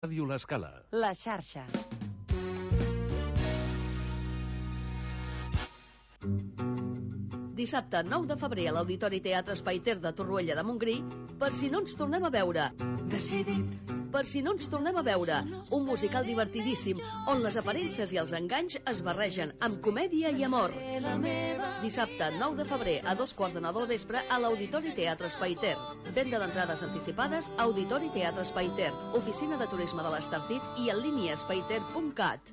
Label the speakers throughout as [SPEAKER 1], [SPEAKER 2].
[SPEAKER 1] Ràdio L'Escala.
[SPEAKER 2] La xarxa.
[SPEAKER 3] Dissabte 9 de febrer a l'Auditori Teatre Espai Ter de Torroella de Montgrí, Per si no ens tornem a veure. Per si no ens tornem a veure, un musical divertidíssim on les aparences i els enganys es barregen amb comèdia i amor. Dissabte 9 de febrer a 2:15 del vespre a l'Auditori Teatre Espai Ter. Venda d'entrades anticipades a Auditori Teatre Espai Ter, Oficina de Turisme de l'Estartit i en línia espaiter.cat.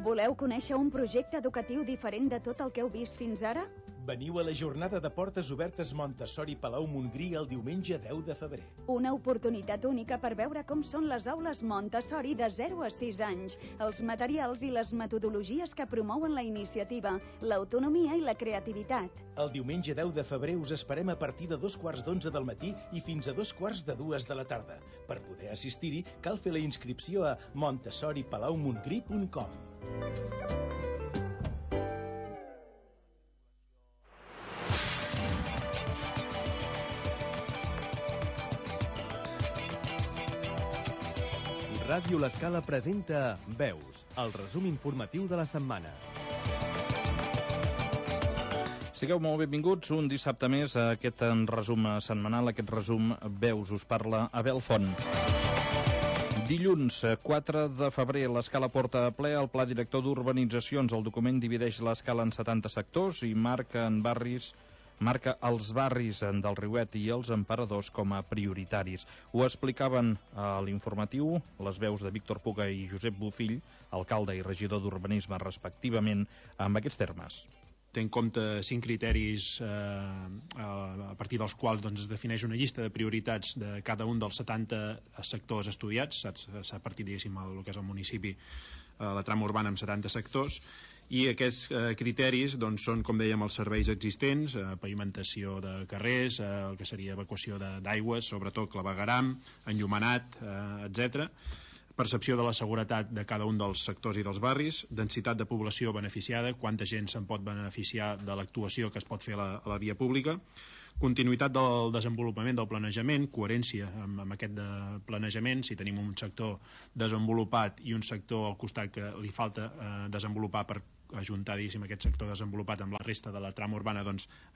[SPEAKER 4] Voleu conèixer un projecte educatiu diferent de tot el que heu vist fins ara?
[SPEAKER 5] Veniu a la jornada de portes obertes Montessori Palau Montgrí el diumenge 10 de febrer.
[SPEAKER 4] Una oportunitat única per veure com són les aules Montessori de 0 a 6 anys, els materials i les metodologies que promouen la iniciativa, l'autonomia i la creativitat.
[SPEAKER 5] El diumenge 10 de febrer us esperem a partir de 2:15 del matí i fins a 2:45 de la tarda. Per poder assistir-hi, cal fer la inscripció a montessoripalaumongrí.com.
[SPEAKER 1] Ràdio L'Escala presenta Veus, el resum informatiu de la setmana.
[SPEAKER 6] Sigueu molt benvinguts un dissabte més a aquest resum setmanal, aquest resum Veus. Us parla Abel Font. Dilluns 4 de febrer l'Escala porta a ple el Pla Director d'Urbanitzacions. El document divideix l'Escala en 70 sectors i marca els barris del Riuet i els Emperadors com a prioritaris. Ho explicaven a l'informatiu les veus de Víctor Puga i Josep Bofill, alcalde i regidor d'Urbanisme respectivament, amb aquests termes.
[SPEAKER 7] Té en compte 5 criteris a partir dels quals es defineix una llista de prioritats de cada un dels 70 sectors estudiats. S'ha partit, diguéssim, el que és el municipi, la trama urbana amb 70 sectors, i aquests criteris són, com dèiem, els serveis existents, pavimentació de carrers, el que seria evacuació d'aigües, sobretot clavegueram, enllumenat, etc., percepció de la seguretat de cada un dels sectors i dels barris, densitat de població beneficiada, quanta gent se'n pot beneficiar de l'actuació que es pot fer a la via pública, continuïtat del desenvolupament del planejament, coherència amb aquest planejament, si tenim un sector desenvolupat i un sector al costat que li falta desenvolupar per ajuntar, diguéssim, aquest sector desenvolupat amb la resta de la trama urbana,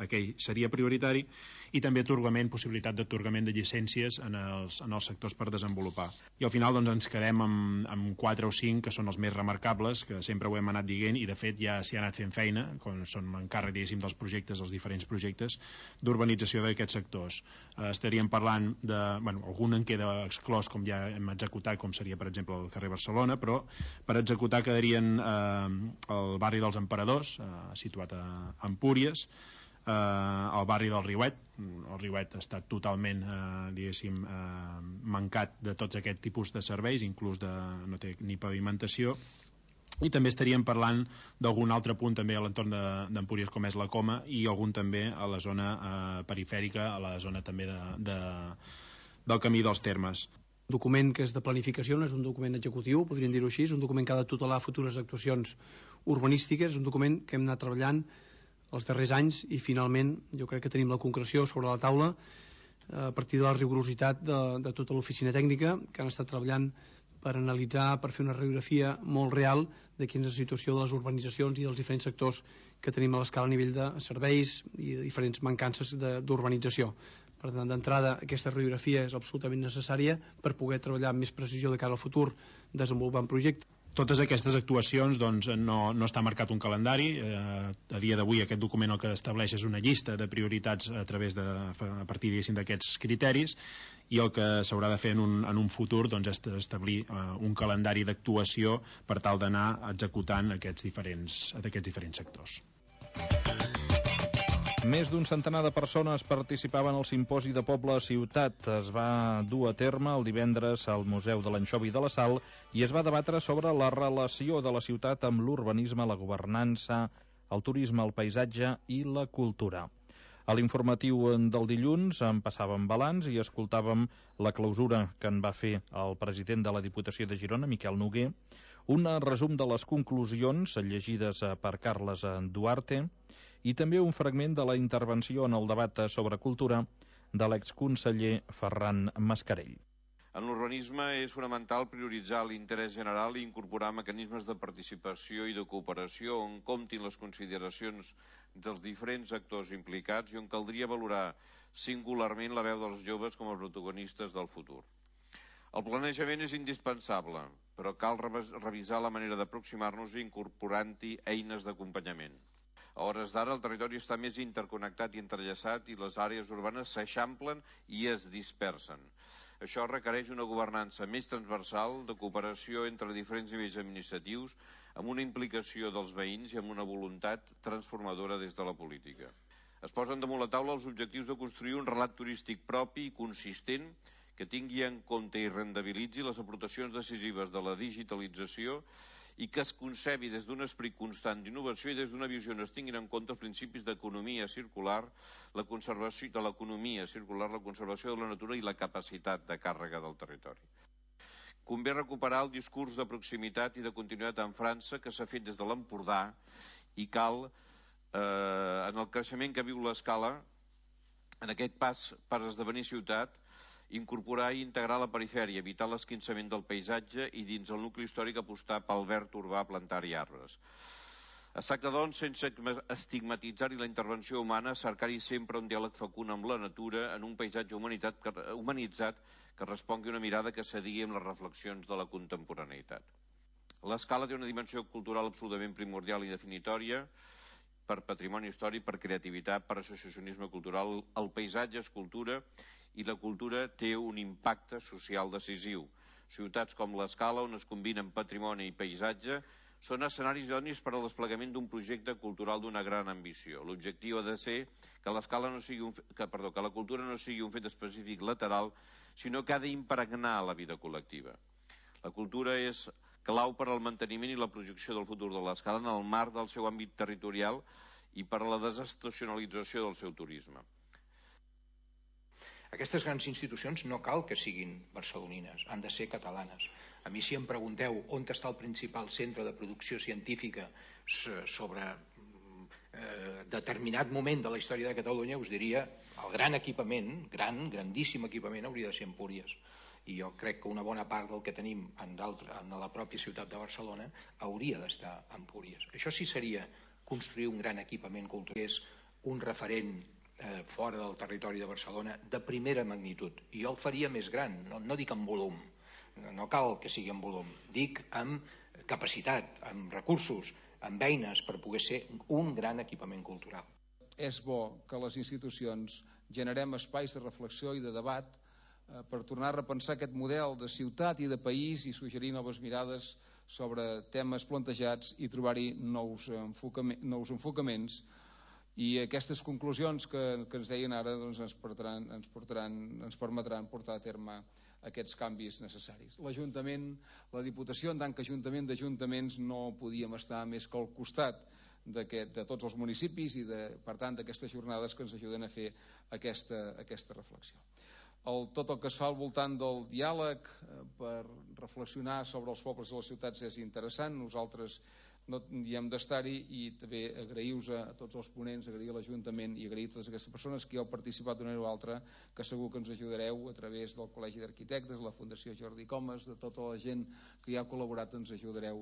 [SPEAKER 7] aquell seria prioritari, i també possibilitat d'atorgament de llicències en els sectors per desenvolupar. I al final ens quedem amb 4 o 5 que són els més remarcables, que sempre ho hem anat dient i de fet ja s'hi ha anat fent feina, com són encàrrec, diguéssim, dels projectes, els diferents projectes d'urbanització d'aquests sectors. Estaríem parlant de, algun en queda exclòs, com ja hem executat, com seria per exemple el carrer Barcelona, però per executar quedarien el barri dels Emperadors, situat a Empúries, el barri del Riuet. El Riuet ha estat totalment mancat de tots aquest tipus de serveis, inclús no té ni pavimentació, i també estaríem parlant d'algun altre punt també a l'entorn d'Empúries, com és la Coma, i algun també a la zona perifèrica, a la zona també del Camí dels Termes.
[SPEAKER 8] Un document que és de planificació, no és un document executiu, podríem dir-ho així, és un document que ha de tutelar futures actuacions urbanístiques, és un document que hem anat treballant els darrers anys i finalment jo crec que tenim la concreció sobre la taula a partir de la rigorositat de tota l'oficina tècnica que han estat treballant per analitzar, per fer una radiografia molt real de quina és la situació de les urbanitzacions i dels diferents sectors que tenim a l'escala a nivell de serveis i de diferents mancances d'urbanització. Per tant, d'entrada, aquesta radiografia és absolutament necessària per poder treballar amb més precisió de cara al futur desenvolupant projectes.
[SPEAKER 7] Totes aquestes actuacions no està marcat un calendari. A dia d'avui aquest document el que estableix és una llista de prioritats a partir d'aquests criteris, i el que s'haurà de fer en un futur és establir un calendari d'actuació per tal d'anar executant aquests diferents sectors.
[SPEAKER 6] Més d'un centenar de persones participaven al simposi de Poble a Ciutat. Es va dur a terme el divendres al Museu de l'Anxovi i de la Sal i es va debatre sobre la relació de la ciutat amb l'urbanisme, la governança, el turisme, el paisatge i la cultura. A l'informatiu del dilluns en passàvem balanç i escoltàvem la clausura que en va fer el president de la Diputació de Girona, Miquel Noguer, un resum de les conclusions llegides per Carles Duarte i també un fragment de la intervenció en el debat sobre cultura de l'exconseller Ferran Mascarell.
[SPEAKER 2] En l'urbanisme és fonamental prioritzar l'interès general i incorporar mecanismes de participació i de cooperació on comptin les consideracions dels diferents actors implicats i on caldria valorar singularment la veu dels joves com a protagonistes del futur. El planejament és indispensable, però cal revisar la manera d'aproximar-nos incorporant-hi eines d'acompanyament. A hores d'ara el territori està més interconnectat i entrellaçat i les àrees urbanes s'eixamplen i es dispersen. Això requereix una governança més transversal, de cooperació entre diferents nivells administratius, amb una implicació dels veïns i amb una voluntat transformadora des de la política. Es posen damunt la taula els objectius de construir un relat turístic propi i consistent que tingui en compte i rendibilitzi les aportacions decisives de la digitalització i que es concebi des d'un esperit constant d'innovació i des d'una visió on es tinguin en compte els principis d'economia circular, la conservació de l'economia circular, la conservació de la natura i la capacitat de càrrega del territori. Convé recuperar el discurs de proximitat i de continuïtat en França que s'ha fet des de l'Empordà i cal, en el creixement que viu l'Escala, en aquest pas per esdevenir ciutat, incorporar i integrar la perifèria, evitar l'esquinçament del paisatge i dins el nucli històric apostar pel verd urbà, plantar-hi arbres. Es tracta, doncs, sense estigmatitzar-hi la intervenció humana, cercar-hi sempre un diàleg fecund amb la natura en un paisatge humanitzat que respongui una mirada que s'adigui amb les reflexions de la contemporaneïtat. L'Escala té una dimensió cultural absolutament primordial i definitòria per patrimoni històric, per creativitat, per associacionisme cultural. El paisatge és cultura i la cultura té un impacte social decisiu. Ciutats com l'Escala, on es combinen patrimoni i paisatge, són escenaris idonis per al desplegament d'un projecte cultural d'una gran ambició. L'objectiu ha de ser que la cultura no sigui un fet específic lateral, sinó que ha d'impregnar la vida col·lectiva. La cultura és clau per al manteniment i la projecció del futur de l'Escala en el marc del seu àmbit territorial i per a la desestacionalització del seu turisme.
[SPEAKER 9] Aquestes grans institucions no cal que siguin barcelonines, han de ser catalanes. A mi, si em pregunteu on està el principal centre de producció científica sobre determinat moment de la història de Catalunya, us diria el gran equipament, grandíssim equipament, hauria de ser Empúries. I jo crec que una bona part del que tenim en la pròpia ciutat de Barcelona hauria d'estar a Empúries. Això sí seria construir un gran equipament cultural, és un referent fora del territori de Barcelona de primera magnitud. I jo el faria més gran, no dic en volum, no cal que sigui en volum, dic amb capacitat, amb recursos, amb eines per poder ser un gran equipament cultural.
[SPEAKER 10] És bo que les institucions generem espais de reflexió i de debat per tornar a repensar aquest model de ciutat i de país i suggerir noves mirades sobre temes plantejats i trobar-hi nous enfocaments. I aquestes conclusions que ens deien ara doncs ens permetran portar a terme aquests canvis necessaris. L'Ajuntament, la Diputació, en tant que Ajuntament d'Ajuntaments, no podíem estar més que al costat de tots els municipis i, per tant, d'aquestes jornades que ens ajuden a fer aquesta reflexió. Tot el que es fa al voltant del diàleg per reflexionar sobre els pobles i les ciutats és interessant. Nosaltres hi hem d'estar-hi i també agrair-vos a tots els ponents, agrair a l'Ajuntament i agrair a totes aquestes persones que hi heu participat d'una manera o altra, que segur que ens ajudareu a través del Col·legi d'Arquitectes, la Fundació Jordi Comas, de tota la gent que hi ha col·laborat, ens ajudareu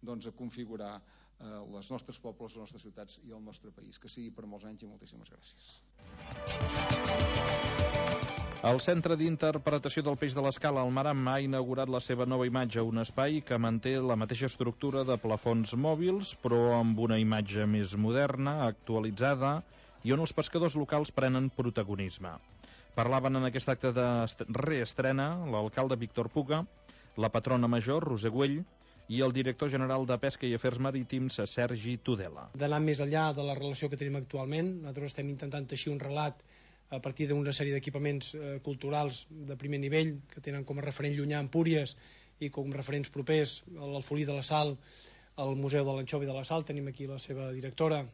[SPEAKER 10] a configurar els nostres pobles, les nostres ciutats i el nostre país. Que sigui per molts anys i moltíssimes gràcies.
[SPEAKER 6] El Centre d'Interpretació del Peix de l'Escala al Maram ha inaugurat la seva nova imatge, un espai que manté la mateixa estructura de plafons mòbils, però amb una imatge més moderna, actualitzada, i on els pescadors locals prenen protagonisme. Parlaven en aquest acte de reestrena l'alcalde Víctor Puga, la patrona major, Roser Güell, i el director general de Pesca i Afers Marítims, Sergi Tudela.
[SPEAKER 8] D'anar més enllà de la relació que tenim actualment, nosaltres estem intentant teixir un relat a partir d'una sèrie d'equipaments culturals de primer nivell que tenen com a referent llunyà Empúries i com referents propers l'Alfolí de la Sal, el Museu de l'Anxovi de la Sal, tenim aquí la seva directora,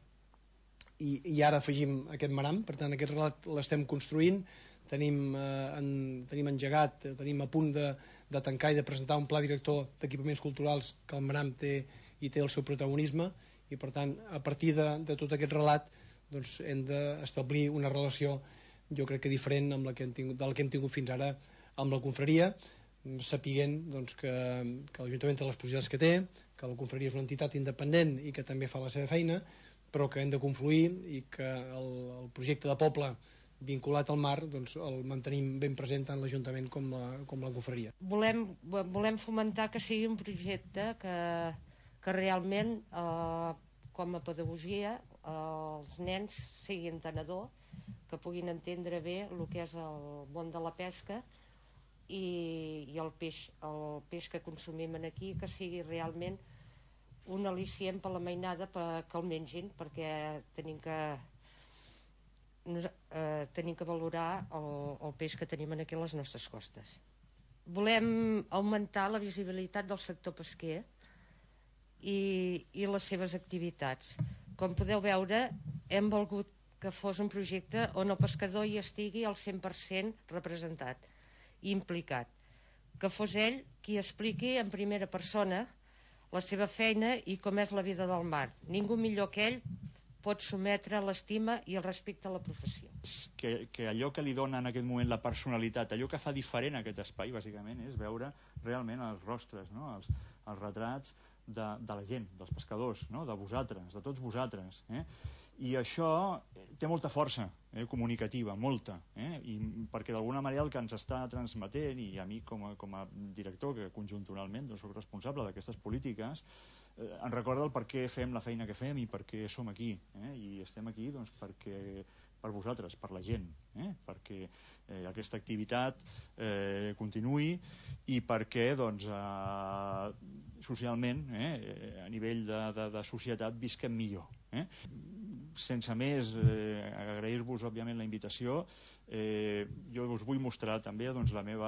[SPEAKER 8] i ara afegim aquest Maram. Per tant, aquest relat l'estem construint, tenim engegat, tenim a punt de tancar i de presentar un pla director d'equipaments culturals que el Maram té i té el seu protagonisme, i per tant, a partir de tot aquest relat doncs, hem d'establir una relació jo crec que diferent del que hem tingut fins ara amb la confraria, sapiguent doncs, que l'Ajuntament té les possibilitats que té, que la confraria és una entitat independent i que també fa la seva feina, però que hem de confluir i que el projecte de poble vinculat al mar doncs, el mantenim ben present tant l'Ajuntament com la confraria.
[SPEAKER 11] Volem fomentar que sigui un projecte que realment com a pedagogia els nens siguin entenedors, que puguin entendre bé el que és el món de la pesca i el peix que consumim aquí, que sigui realment un al·licient per la mainada que el mengin, perquè tenim que valorar el peix que tenim aquí a les nostres costes. Volem augmentar la visibilitat del sector pesquer i les seves activitats. Com podeu veure, hem volgut que fos un projecte on el pescador hi estigui al 100% representat i implicat, que fos ell qui expliqui en primera persona la seva feina i com és la vida del mar. Ningú millor que ell pot sometre l'estima i el respecte a la professió.
[SPEAKER 12] Que allò que li dona en aquest moment la personalitat, allò que fa diferent aquest espai, bàsicament, és veure realment els rostres, no? els retrats de la gent, dels pescadors, no? De vosaltres, de tots vosaltres. I això té molta força comunicativa, molta, i perquè d'alguna manera el que ens està transmetent, i a mi com a director, que conjunturalment soc responsable d'aquestes polítiques, ens recorda el per què fem la feina que fem i per què som aquí, i estem aquí doncs, per vosaltres, per la gent, perquè aquesta activitat continuï i perquè doncs, socialment, a nivell de societat, visquem millor. Sense més, agrair-vos òbviament la invitació. Jo us vull mostrar també doncs, el meu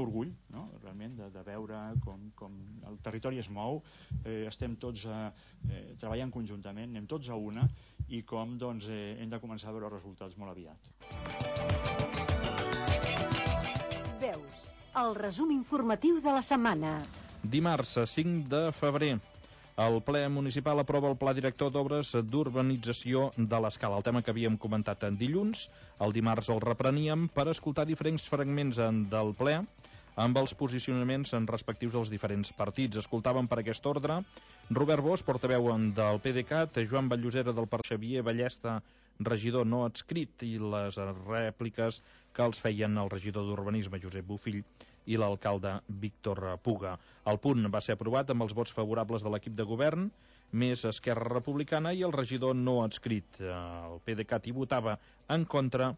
[SPEAKER 12] orgull, no? Realment de veure com el territori es mou, estem tots treballant conjuntament, anem tots a una, i com doncs, hem de començar a veure resultats molt aviat.
[SPEAKER 13] Veus, el resum informatiu de la setmana.
[SPEAKER 6] Dimarts, 5 de febrer, el ple municipal aprova el pla director d'obres d'urbanització de l'Escala, el tema que havíem comentat en dilluns. El dimarts el repreníem per escoltar diferents fragments del ple amb els posicionaments respectius dels diferents partits. Escoltàvem per aquest ordre Robert Bosch, portaveu del PDeCAT, Joan Vallosera del Partit, Xavier Ballesta, regidor no adscrit, i les rèpliques que els feien el regidor d'Urbanisme, Josep Bofill, i l'alcalde Víctor Puga. El punt va ser aprovat amb els vots favorables de l'equip de govern, més Esquerra Republicana i el regidor no adscrit. El PDeCAT hi votava en contra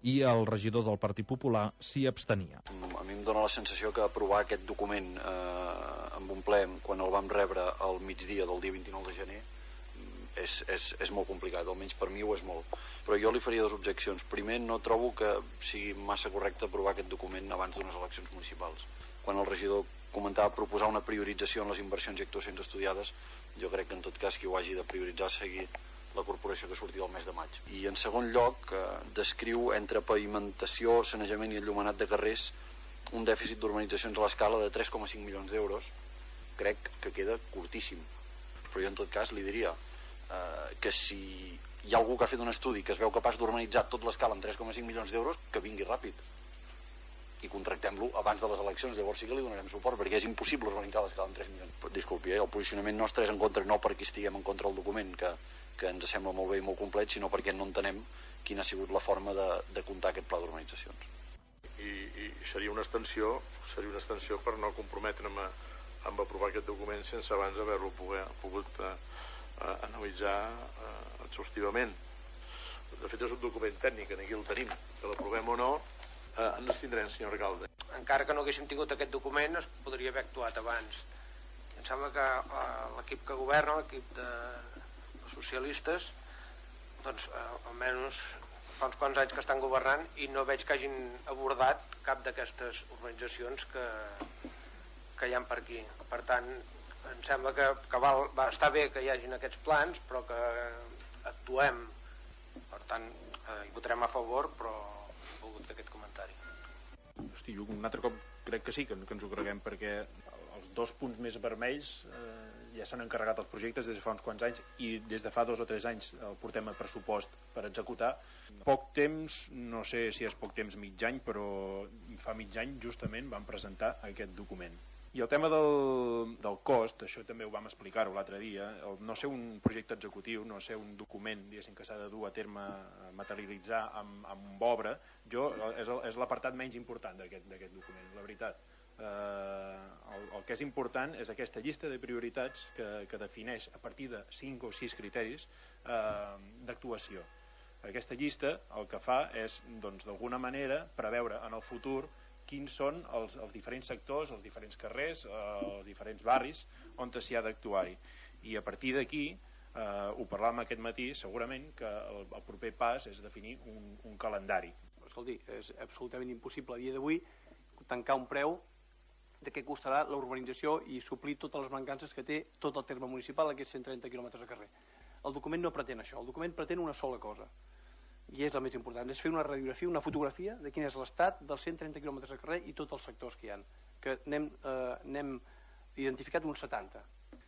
[SPEAKER 6] i el regidor del Partit Popular s'hi abstenia.
[SPEAKER 14] A mi em dóna la sensació que aprovar aquest document amb un ple, quan el vam rebre al migdia del dia 29 de gener, és molt complicat, almenys per mi ho és molt. Però jo li faria dues objeccions. Primer, no trobo que sigui massa correcte aprovar aquest document abans d'unes eleccions municipals. Quan el regidor comentava proposar una priorització en les inversions i actuacions estudiades, jo crec que en tot cas qui ho hagi de prioritzar seguir la corporació que surti del mes de maig. I en segon lloc, descriu entre pavimentació, sanejament i enllumenat de carrers un dèficit d'urbanitzacions a l'escala de 3,5 milions d'euros. Crec que queda curtíssim. Però jo en tot cas li diria que si hi ha algú que ha fet un estudi que es veu capaç d'urbanitzar tot l'escala amb 3,5 milions d'euros, que vingui ràpid i contractem-lo abans de les eleccions. Llavors sí que li donarem suport, perquè és impossible urbanitzar l'escala amb 3 milions. Disculpi, el posicionament nostre és en contra, no perquè estiguem en contra del document, que ens sembla molt bé i molt complet, sinó perquè no entenem quina ha sigut la forma de comptar aquest pla d'urbanitzacions.
[SPEAKER 15] I seria una extensió per no comprometre'm amb aprovar aquest document sense abans haver-lo pogut analitzar exhaustivament. De fet és un document tècnic, aquí el tenim, que l'aprovem o no, ens abstindrem, senyor alcalde.
[SPEAKER 9] Encara que no haguéssim tingut aquest document es podria haver actuat abans. Em sembla que l'equip que governa, l'equip de socialistes, doncs almenys fa uns quants anys que estan governant i no veig que hagin abordat cap d'aquestes organitzacions que hi ha per aquí. Per tant, em sembla que va estar bé que hi hagin aquests plans, però que actuem. Per tant, hi votarem a favor, però he volgut fer aquest comentari.
[SPEAKER 7] Hosti, jo un altre cop crec que sí, que ens ho creguem, perquè els dos punts més vermells ja s'han encarregat els projectes des de fa uns quants anys i des de fa 2 o 3 anys el portem a pressupost per executar. Poc temps, no sé si és poc temps, mig any, però fa mig any justament vam presentar aquest document. I el tema del cost, això també ho vam explicar-ho l'altre dia, no ser un projecte executiu, no ser un document que s'ha de dur a terme, materialitzar amb obra, és l'apartat menys important d'aquest document, la veritat. El que és important és aquesta llista de prioritats que defineix a partir de 5 o 6 criteris d'actuació. Aquesta llista el que fa és, d'alguna manera, preveure en el futur quins són els diferents sectors, els diferents carrers, els diferents barris on s'hi ha d'actuar-hi. I a partir d'aquí, ho parlàvem aquest matí, segurament que el proper pas és definir un calendari.
[SPEAKER 8] Escolti, és absolutament impossible a dia d'avui tancar un preu de què costarà la urbanització i suplir totes les mancances que té tot el terme municipal, aquests 130 quilòmetres de carrer. El document no pretén això, el document pretén una sola cosa, i és el més important, és fer una radiografia, una fotografia de quin és l'estat dels 130 quilòmetres de carrer i tots els sectors que hi ha, que n'hem identificat uns 70.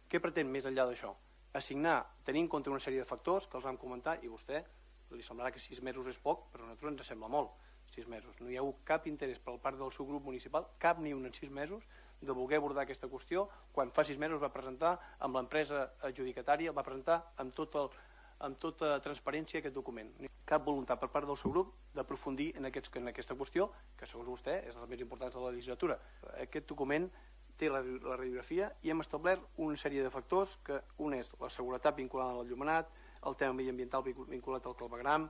[SPEAKER 8] Què pretén més enllà d'això? Assignar, tenir en compte una sèrie de factors que els vam comentar, i vostè li semblarà que 6 mesos és poc, però a nosaltres ens sembla molt, 6 mesos. No hi ha hagut cap interès per part del seu grup municipal, cap ni un en 6 mesos, de voler abordar aquesta qüestió, quan fa 6 mesos va presentar amb l'empresa adjudicatària, va presentar amb tota transparència aquest document. Cap voluntat per part del seu grup d'aprofundir en aquesta qüestió, que segons vostè és de les més importants de la legislatura. Aquest document té la radiografia i hem establert una sèrie de factors, que un és la seguretat vinculada al llumenat, el tema mediambiental vinculat al clavegram,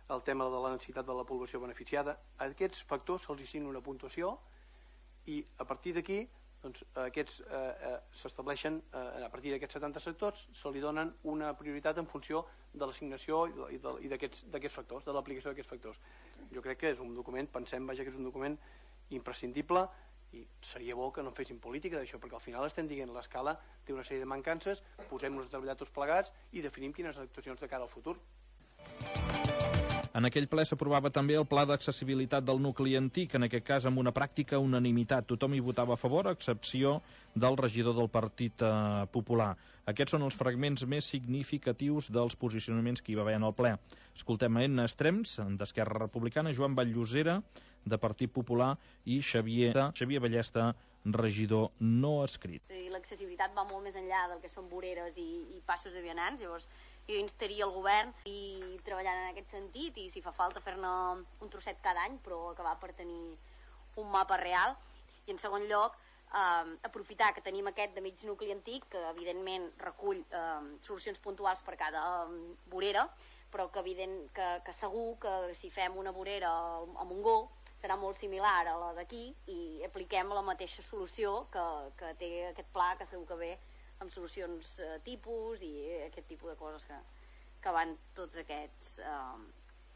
[SPEAKER 8] el tema de la necessitat de la població beneficiada. A aquests factors se'ls assigna una puntuació i a partir d'aquí s'estableixen, a partir d'aquests 70 sectors se li donen una prioritat en funció de l'assignació i d'aquests factors, de l'aplicació d'aquests factors. Jo crec que és un document, pensem que és un document imprescindible, i seria bo que no fessin política d'això, perquè al final estem dient l'escala té una sèrie de mancances, posem-nos a treballar tots plegats i definim quines actuacions de cara al futur.
[SPEAKER 6] En aquell ple s'aprovava també el pla d'accessibilitat del nucli antic, en aquest cas amb una pràctica unanimitat. Tothom hi votava a favor, a excepció del regidor del Partit Popular. Aquests són els fragments més significatius dels posicionaments que hi va haver en el ple. Escoltem a Enna Estrems, d'Esquerra Republicana, Joan Batllosera, de Partit Popular, i Xavier Ballesta, regidor no escrit.
[SPEAKER 16] L'accessibilitat va molt més enllà del que són voreres i passos de vianants, llavors jo instaria el govern i treballant en aquest sentit, i si fa falta fer-ne un trosset cada any, però acabar per tenir un mapa real. I en segon lloc, aprofitar que tenim aquest de mig nucli antic, que evidentment recull solucions puntuals per cada vorera, però que segur que si fem una vorera a Montgó serà molt similar a la d'aquí i apliquem la mateixa solució que té aquest pla, que segur que ve amb solucions tipus i aquest tipus de coses que van tots aquests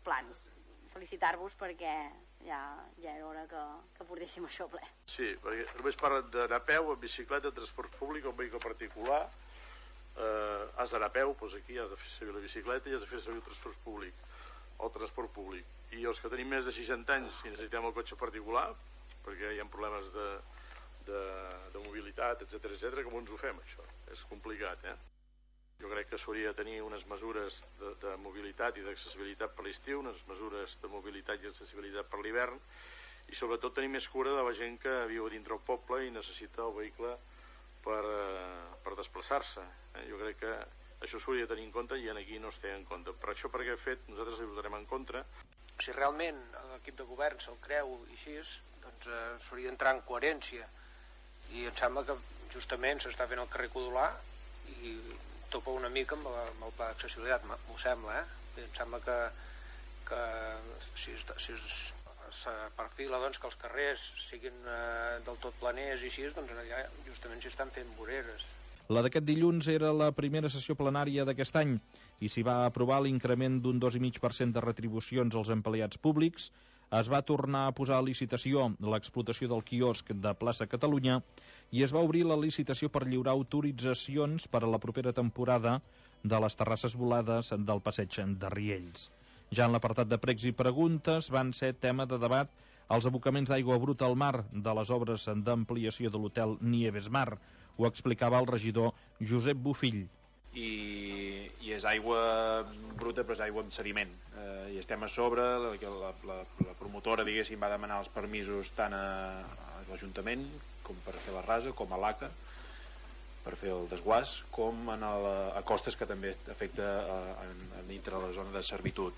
[SPEAKER 16] plans. Felicitar-vos perquè ja era hora que portéssim això ple.
[SPEAKER 15] Sí, perquè només parlen d'anar a peu, en bicicleta, transport públic o en vehicle particular. Has d'anar a peu, doncs aquí has de fer servir la bicicleta i has de fer servir el transport públic. I els que tenim més de 60 anys i necessitem el cotxe particular, perquè hi ha problemes de mobilitat, etc., com ens ho fem, això? És complicat, Jo crec que s'hauria de tenir unes mesures de mobilitat i d'accessibilitat per l'estiu, unes mesures de mobilitat i accessibilitat per l'hivern, i sobretot tenir més cura de la gent que viu dintre el poble i necessita el vehicle per desplaçar-se. Jo crec que això s'hauria de tenir en compte i aquí no es té en compte. Per això, per aquest fet, nosaltres hi votarem en contra.
[SPEAKER 9] Si realment l'equip de govern se'l creu i així, doncs s'hauria d'entrar en coherència, i em sembla que justament s'està fent el carrer Codolà i topa una mica amb el pla d'accessibilitat, m'ho sembla, Em sembla que si es perfila que els carrers siguin del tot planers i així, doncs allà justament s'hi estan fent voreres.
[SPEAKER 6] La d'aquest dilluns era la primera sessió plenària d'aquest any i s'hi va aprovar l'increment d'un 2,5% de retribucions als empleats públics, es va tornar a posar a licitació l'explotació del quiosc de Plaça Catalunya i es va obrir la licitació per lliurar autoritzacions per a la propera temporada de les terrasses volades del passeig de Riells. Ja en l'apartat de pregs i preguntes van ser tema de debat els abocaments d'aigua bruta al mar de les obres d'ampliació de l'hotel Nieves Mar, Ho explicava el regidor Josep Bofill.
[SPEAKER 17] I és aigua bruta, però és aigua amb sediment. I estem a sobre, la promotora, diguéssim, va demanar els permisos tant a l'Ajuntament com per fer la rasa, com a l'ACA per fer el desguàs, com a costes, que també afecta dintre la zona de servitud.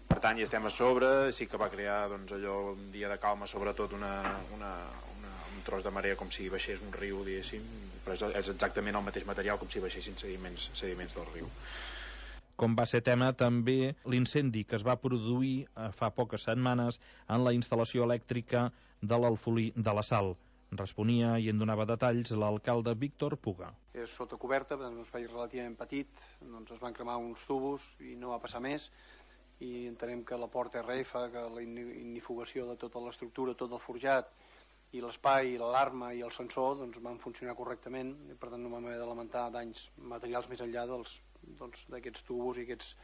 [SPEAKER 17] Per tant, hi estem a sobre. Sí que va crear allò un dia de calma, sobretot un tros de marea, com si baixés un riu, diguéssim, però és exactament el mateix material com si baixessin sediments del riu.
[SPEAKER 6] Com va ser tema també l'incendi que es va produir fa poques setmanes en la instal·lació elèctrica de l'Alfolí de la Sal. Responia i en donava detalls l'alcalde Víctor Puga.
[SPEAKER 8] És sota coberta, és un espai relativament petit, es van cremar uns tubos i no va passar més, i entenem que la porta RF, que la ignifugació de tota l'estructura, tot el forjat, i l'espai, l'alarma i el sensor van funcionar correctament, i per tant no vam haver de lamentar danys materials més enllà d'aquests tubos i aquest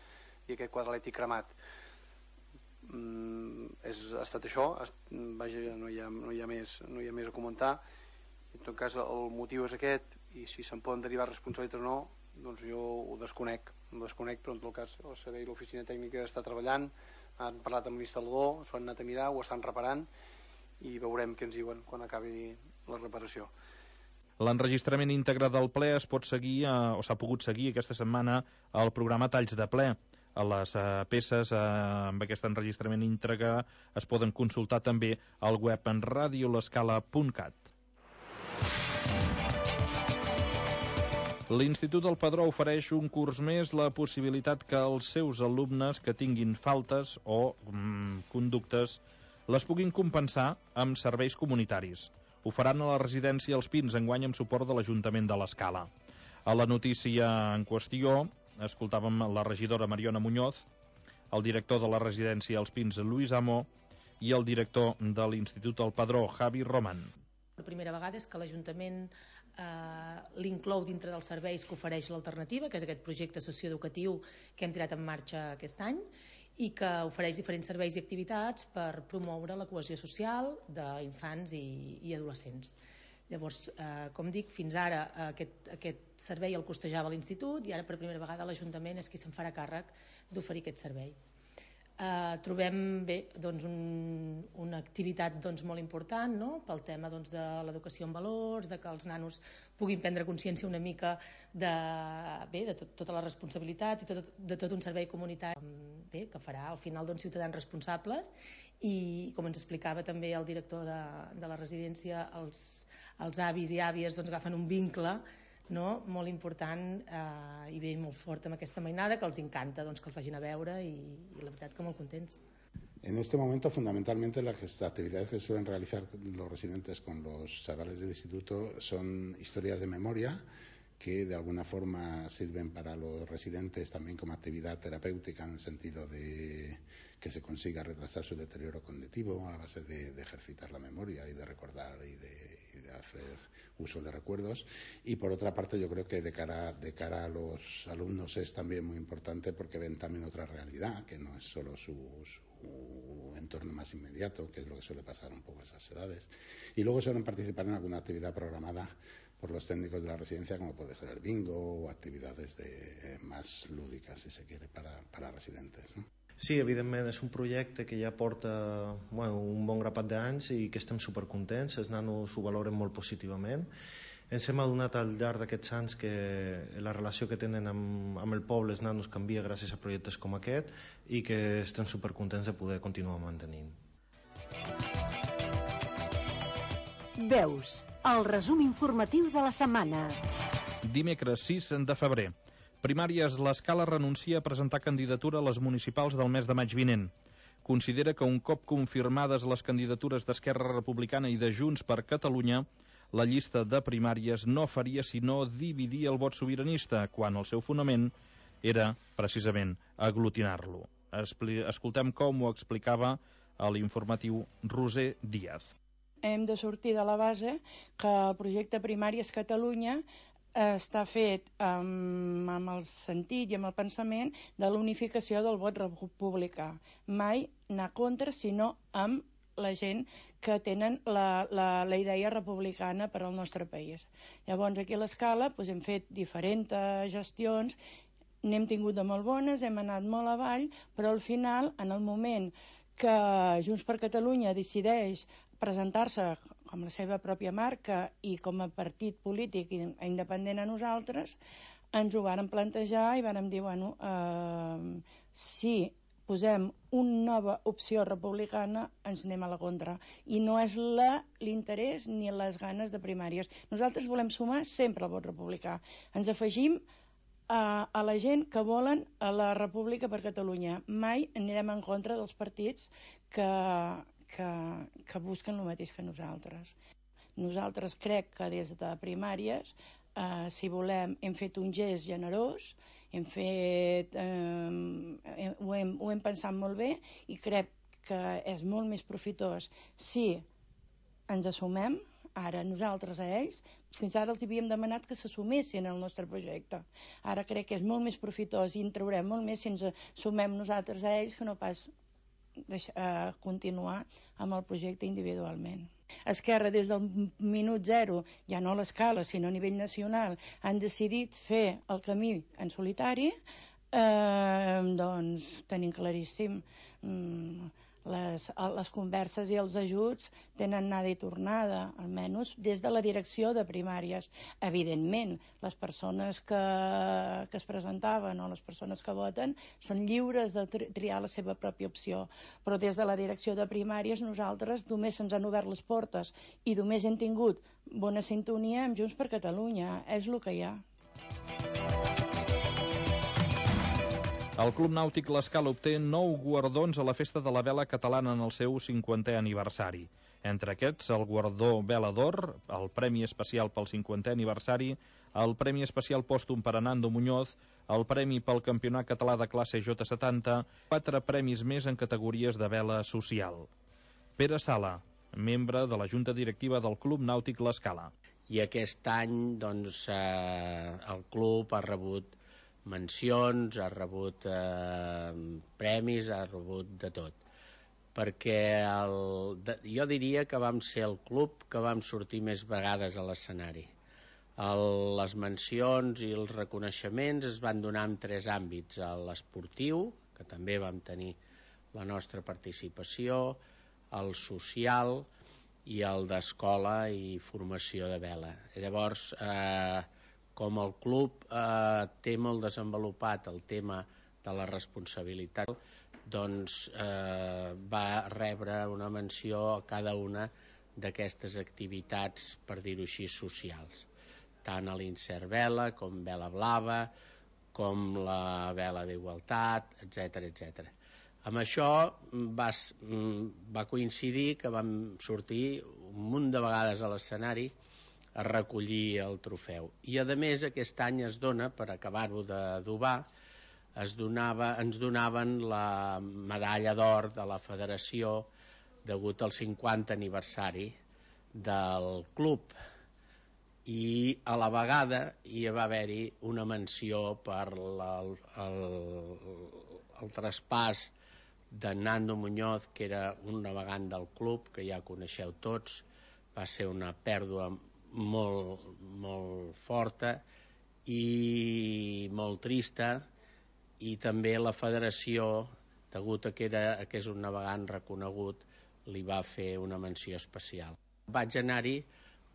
[SPEAKER 8] quadre elèctric cremat. Ha estat això, vaja, no hi ha més a comentar. En tot cas el motiu és aquest, i si se'n poden derivar responsabilitats o no, doncs jo ho desconec, però en tot cas el servei i l'oficina tècnica està treballant, han parlat amb l'instal·lador, s'ho han anat a mirar, ho estan reparant, i veurem què ens diuen quan acabi la reparació.
[SPEAKER 6] L'enregistrament íntegre del ple es pot seguir, o s'ha pogut seguir aquesta setmana, al programa Talls de Ple. Les peces amb aquest enregistrament íntegre es poden consultar també al web en radiolescala.cat. L'Institut del Padró ofereix un curs més la possibilitat que els seus alumnes que tinguin faltes o conductes les puguin compensar amb serveis comunitaris. Ho faran a la residència Els Pins, enguany amb suport de l'Ajuntament de l'Escala. A la notícia en qüestió escoltàvem la regidora Mariona Muñoz, el director de la residència Els Pins, Lluís Amó, i el director de l'Institut del Padró, Javi Roman.
[SPEAKER 18] La primera vegada és que l'Ajuntament l'inclou dintre dels serveis que ofereix l'alternativa, que és aquest projecte socioeducatiu que hem tirat en marxa aquest any, i que ofereix diferents serveis i activitats per promoure la cohesió social d'infants i adolescents. Llavors, com dic, fins ara aquest servei el costejava l'Institut i ara per primera vegada l'Ajuntament és qui se'n farà càrrec d'oferir aquest servei. Trobem bé una activitat molt important, no? Pel tema de l'educació en valors, de que els nanos puguin prendre consciència una mica de tota la responsabilitat i de tot un servei comunitari que farà al final ciutadans responsables, i com ens explicava també el director de la residència, els avis i àvies agafen un vincle molt important i bé molt fort amb aquesta mainada, que els encanta que els vagin a veure, i la veritat que molt contents.
[SPEAKER 19] En este momento, fundamentalmente, las actividades que suelen realizar los residentes con los chavales del instituto son historias de memoria que de alguna forma sirven para los residentes también como actividad terapéutica, en el sentido de que se consiga retrasar su deterioro cognitivo a base de ejercitar la memoria y de recordar y de hacer uso de recuerdos. Y por otra parte, yo creo que de cara a los alumnos es también muy importante, porque ven también otra realidad, que no es solo su entorno más inmediato, que es lo que suele pasar un poco a esas edades. Y luego suelen participar en alguna actividad programada por los técnicos de la residencia, como puede ser el bingo o actividades más lúdicas, si se quiere, para residentes, ¿no?
[SPEAKER 20] Sí, evidentment és un projecte que ja porta un bon grapat d'anys i que estem supercontents, els nanos ho valoren molt positivament. Ens hem adonat al llarg d'aquests anys que la relació que tenen amb el poble els nanos canvia gràcies a projectes com aquest, i que estem supercontents de poder continuar mantenint.
[SPEAKER 13] Veus, el resum informatiu de la setmana.
[SPEAKER 6] Dimecres 6 de febrer. Primàries, l'Escala renuncia a presentar candidatura a les municipals del mes de maig vinent. Considera que un cop confirmades les candidatures d'Esquerra Republicana i de Junts per Catalunya, la llista de primàries no faria sinó dividir el vot sobiranista, quan el seu fonament era, precisament, aglutinar-lo. Escoltem com ho explicava a l'informatiu Roser Díaz.
[SPEAKER 21] Hem de sortir de la base que el projecte Primàries Catalunya està fet amb el sentit i amb el pensament de l'unificació del vot republicà. Mai anar contra, sinó amb la gent que tenen la idea republicana per al nostre país. Llavors, aquí a l'Escala hem fet diferents gestions, n'hem tingut de molt bones, hem anat molt avall, però al final, en el moment que Junts per Catalunya decideix presentar-se com la seva pròpia marca i com a partit polític independent a nosaltres, ens ho vàrem plantejar i vàrem dir, bueno, si posem una nova opció republicana, ens anem a la contra. I no és l'interès ni les ganes de primàries. Nosaltres volem sumar sempre el vot republicà. Ens afegim a la gent que volen a la República per Catalunya. Mai anirem en contra dels partits que busquen el mateix que nosaltres. Nosaltres crec que des de primàries, si volem, hem fet un gest generós, ho hem pensat molt bé i crec que és molt més profitós si ens assumem, ara nosaltres a ells, fins ara els havíem demanat que s'assumessin al nostre projecte. Ara crec que és molt més profitós i en traurem molt més si ens assumem nosaltres a ells que no pas continuar amb el projecte individualment. Esquerra, des del minut zero, ja no a l'Escala, sinó a nivell nacional, han decidit fer el camí en solitari, doncs tenim claríssim les converses i els ajuts tenen anada i tornada, almenys des de la direcció de primàries. Evidentment, les persones que es presentaven o les persones que voten són lliures de triar la seva pròpia opció, però des de la direcció de primàries nosaltres només se'ns han obert les portes i només hem tingut bona sintonia amb Junts per Catalunya. És el que hi ha.
[SPEAKER 6] El Club Nàutic l'Escala obté 9 guardons a la Festa de la Vela Catalana en el seu 50è aniversari. Entre aquests, el guardó Vela d'Or, el Premi Especial pel 50è aniversari, el Premi Especial Pòstum per a Nando Muñoz, el Premi pel Campionat Català de Classe J70, 4 premis més en categories de vela social. Pere Sala, membre de la Junta Directiva del Club Nàutic l'Escala.
[SPEAKER 3] I aquest any, doncs, el club ha rebut mencions, ha rebut premis, ha rebut de tot. Perquè jo diria que vam ser el club que vam sortir més vegades a l'escenari. Les mencions i els reconeixements es van donar en 3 àmbits: l'esportiu, que també vam tenir la nostra participació, el social i el d'escola i formació de vela. Llavors, com el club té molt desenvolupat el tema de la responsabilitat, doncs va rebre una menció a cada una d'aquestes activitats, per dir-ho així, socials. Tant a l'Insert Vela, com Vela Blava, com la Vela d'Igualtat, etc. Amb això va coincidir que vam sortir un munt de vegades a l'escenari a recollir el trofeu. I a més aquest any es dona, per acabar-ho d'adobar, ens donaven la medalla d'or de la federació degut al 50 aniversari del club. I a la vegada hi va haver-hi una menció per el traspàs de Nando Muñoz, que era un navegant del club, que ja coneixeu tots. Va ser una pèrdua molt forta i molt trista, i també la federació, degut a que és un navegant reconegut, li va fer una menció especial. Vaig anar-hi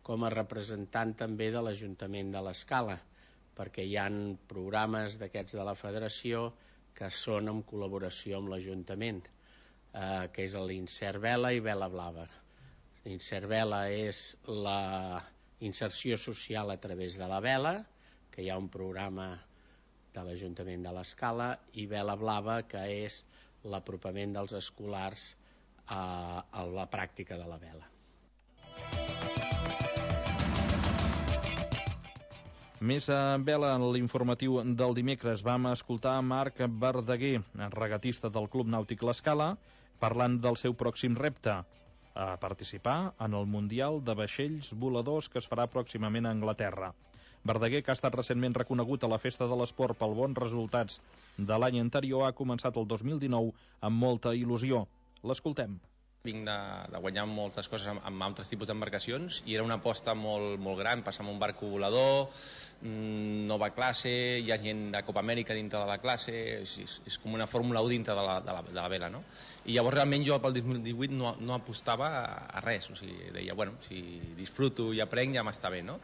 [SPEAKER 3] com a representant també de l'Ajuntament de l'Escala, perquè hi ha programes d'aquests de la federació que són en col·laboració amb l'Ajuntament, que és l'Insert Vela i Vela Blava. L'Insert Vela és la inserció social a través de la vela, que hi ha un programa de l'Ajuntament de l'Escala, i Vela Blava, que és l'apropament dels escolars a la pràctica de la vela.
[SPEAKER 6] Més a vela en l'informatiu del dimecres vam escoltar Marc Verdaguer, regatista del Club Nàutic l'Escala, parlant del seu pròxim repte, a participar en el Mundial de Vaixells Voladors que es farà pròximament a Anglaterra. Verdaguer, que ha estat recentment reconegut a la Festa de l'Esport pel bons resultats de l'any anterior, ha començat el 2019 amb molta il·lusió. L'escoltem.
[SPEAKER 4] Vinc de guanyar moltes coses amb altres tipus d'embarcacions i era una aposta molt gran, passar amb un barco volador, nova classe, hi ha gent de Copa Amèrica dintre de la classe, és com una Fórmula 1 dintre de la vela, no? I llavors realment jo pel 2018 no apostava a res, o sigui, deia, bueno, si disfruto i aprenc ja m'està bé, no?